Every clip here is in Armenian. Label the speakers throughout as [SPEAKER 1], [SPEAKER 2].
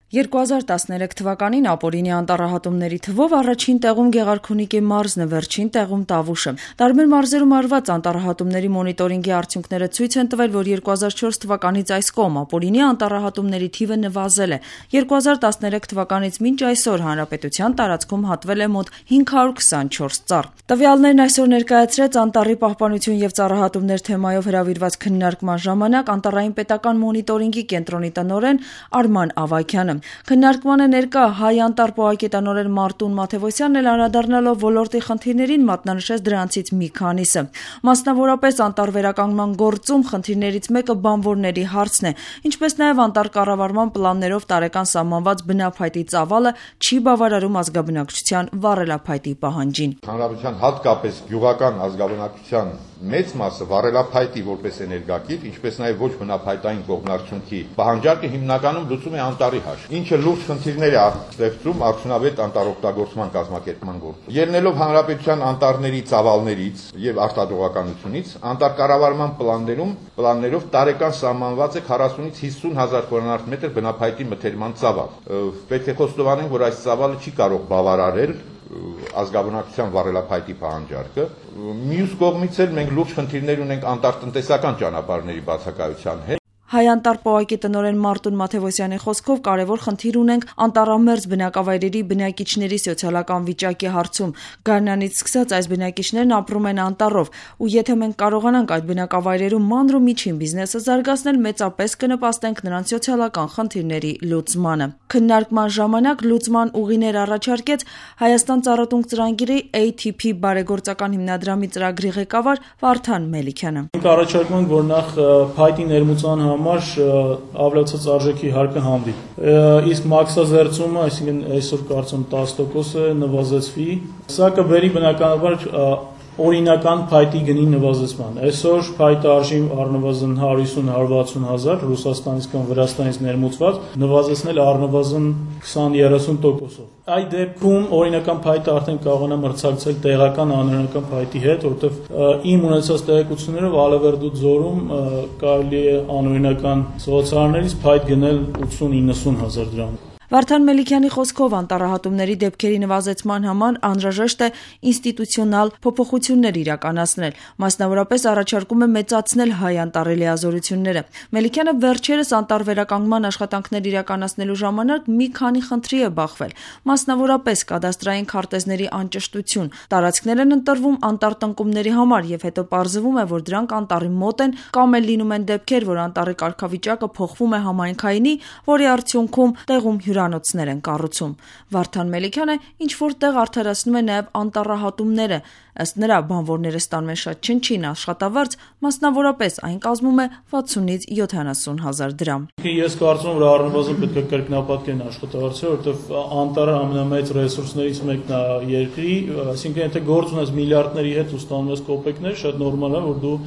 [SPEAKER 1] 2013 թվականին ապօրինի անտառահատումների թվով առաջին տեղում Գեղարքունիքի մարզն է, վերջին տեղում Տավուշը։ Տարբեր մարզերում արված անտառահատումների մոնիտորինգի արդյունքները ցույց են տվել, որ 2004 թվականից այս կողմ ապօրինի անտառահատումների թիվը նվազել է։ 2013 թվականից մինչ այսօր հանրապետության տարածքում հատվել է մոտ 524 ծառ։ Տվյալներն այսօր ներկայացրեց Անտառի պահպանություն եւ ծառահատումներ թեմայով հրավիրված քննարկման ժամանակ Անտառային պետական մոնիտորինգի կենտրոնի տնօրեն Արման Ավագյանը։ Քննարկմանը ներկա Հայ անտառ պոակետանորեն Մարտուն Մաթևոսյանն էլ անդրադառնալով ոլորտի խնդիրներին մատնանշեց դրանցից մի քանիսը։ Մասնավորապես անտառ վերականգնման գործում խնդիրներից մեկը բանվորների հարցն է, ինչպես նաև անտառ կառավարման պլաններով տարեկան սահմանված բնափայտի ծավալը չի բավարարում ազգաբնակչության վառելափայտի պահանջին։
[SPEAKER 2] Հանրապետության հատկապես գյուղական ազգաբնակչության մեծ մասը վառելափայտի որպես էներգակիր, ինչպես նաև ոչ բնափայտային կողմնակցությունքի պահանջարկը հիմնականում լուծում է անտառի հաշվին, ինչը լուրջ խնդիրներ է ստեղծում արդյունավետ անտառօգտագործման կազմակերպման գործում։ Ելնելով հանրապետության անտառների ծավալներից եւ արտադրողականությունից, անտառկառավարման պլաններով տարեկան սահմանված է 40-ից 50 հազար քմ բնափայտի մթերման ծավալ։ Պետք է խոստովանենք, որ այս ծավալը չի կարող բավարարել ազգաբնակչության վառելափայտի պահանջարկը։ Մյուս կողմից էլ մենք լուրջ խնդիրներ ունենք անտառտնտեսական ճանապարհների բացակայության հետ։
[SPEAKER 1] Հայ անտառ պոակի տնօրեն Մարտուն Մաթևոսյանի խոսքով կարևոր խնդիր ունենք անտառամերձ բնակավայրերի բնակիչների սոցիալական վիճակի հարցում։ Գարնանից սկսած այս բնակիչներն ապրում են անտառով, ու եթե մենք կարողանանք այդ բնակավայրերում մանր ու միջին բիզնեսը զարգացնել, մեծապես կնպաստենք նրանց սոցիալական խնդիրների լուծմանը։ Քննարկման ժամանակ լուծման ուղիներ առաջարկեց Հայաստան ծառատունկ ծրագրի ATP բարեգործական հիմնադրամի ծրագրի ղեկավար Վարդան Մելիքյանը։
[SPEAKER 3] Մենք առաջարկում ենք, որ նախ փայտի ներմուծման համար ավելացած արժեքի հարկը հանվի։ Իսկ մաքսազերծումը, այսինքն այսօր կարծում 10% նվազեցվի, սա կբերի բնականաբար օրինական փայտի գնի նվազեցման։ Այսօր փայտը արժի առնվազն 150-160 հազար Ռուսաստանից կամ Վրաստանից ներմուծված, նվազեցնել առնվազն 20-30%-ով։ Այդ դեպքում օրինական փայտը արդեն կարողանա մրցակցել տեղական անօրինական փայտի հետ, որովհետև իմ ունեցած տեղեկություններով Ալավերդու ձորում կարելի է անօրինական սոցիալներից փայտ գնել 80-90 հազար դրամ։
[SPEAKER 1] Վարդան Մելիքյանի խոսքով անտառահատումների դեպքերի նվազեցման համար անհրաժեշտ է ինստիտուցիոնալ փոփոխություններ իրականացնել, մասնավորապես առաջարկում է մեծացնել հայ անտառի լիազորությունները։ Մելիքյանը վերջերս անտառ վերականգնման աշխատանքներ իրականացնելու ժամանակ մի քանի խնդրի է բախվել, մասնավորապես կադաստրային քարտեզների անճշտություն, տարածքներ են ընտրվում անտառ տնկումների համար եւ հետո պարզվում է, որ դրանք անտառի մոտ են կամ էլ լինում են դեպքեր, որ անտառի կարգավիճակը փոխվում է համայնքայինի, որի արդյունքում տեղում հյուրանոցներ են կառուցում։ Վարդան Մելիքյանը ինչ-որ տեղ արդարացնում է նաև անտառահատումները։ Ըստ նրա, բանվորները ստանում են շատ չնչին աշխատավարձ, մասնավորապես այն կազմում է 60-ից 70 հազար դրամ։
[SPEAKER 3] Ես կարծում եմ, որ առնվազն պետք է կրկնապատկեն աշխատավարձը, որովհետև անտառը ամենամեծ ռեսուրսներից մեկն է երկրի, այսինքն եթե գործ ունես միլիարդների հետ ու ստանում ես կոպեկներ, շատ նորմալ է, որ դու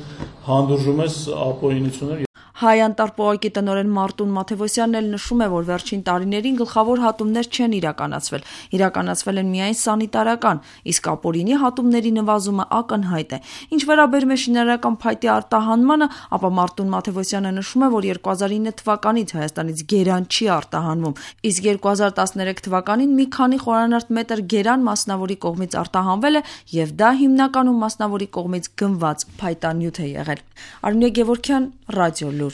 [SPEAKER 3] հանդուրժում ես ապօրինություններ։
[SPEAKER 1] Հայ անտառ պոակի տնօրեն Մարտուն Մաթևոսյանն էլ նշում է, որ վերջին տարիներին գլխավոր հատումներ չեն իրականացվել։ Իրականացվել են միայն սանիտարական, իսկ ապօրինի հատումների նվազումը ակնհայտ է։ Ինչ վերաբերում է շինարարական փայտի արտահանմանը, ապա Մարտուն Մաթևոսյանը նշում է, որ 2009 թվականից Հայաստանից գերան չի արտահանվում, իսկ 2013 թվականին մի քանի խորանարդ մետր գերան մասնավորի կողմից արտահանվել է եւ դա հիմնականում մասնավորի կողմից գնված փայտանյութ է եղել։ Արմինե Գևորգյան, Ռադիո Լուր։